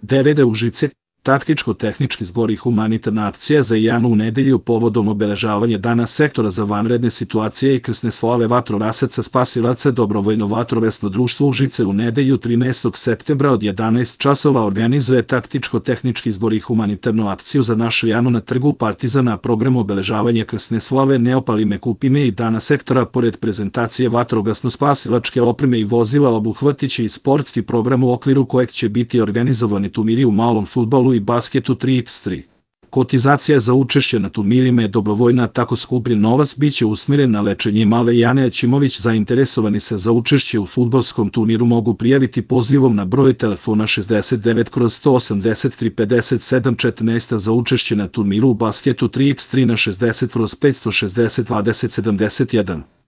DVD Užice, taktičko-tehnički zbor i humanitarna akcija za Janu u nedelju povodom obeležavanja Dana sektora za vanredne situacije i krsne slave vatrogasaca spasilaca Dobrovoljno vatrogasno društvo Užice u nedelju 13. septembra od 11 časova organizuje taktičko-tehnički zbor i humanitarnu akciju za našu Janu na trgu Partizana. Program obeležavanja krsne slave Neopalime Kupime i Dana sektora pored prezentacije vatrogasno-spasilačke opreme i vozila obuhvatiće i sportski program u okviru kojeg će biti organizovani turniri u malom fudbalu i basketu 3x3. Kotizacija za učešće na turnirima je dobrovoljna, tako skupljen novac biće usmjeren na lečenje male Jane Aćimović. Zainteresovani se za učešće u fudbalskom turniru mogu prijaviti pozivom na broj telefona 69/183 57 14, za učešće na turniru u basketu 3x3 na 60/560 20 71.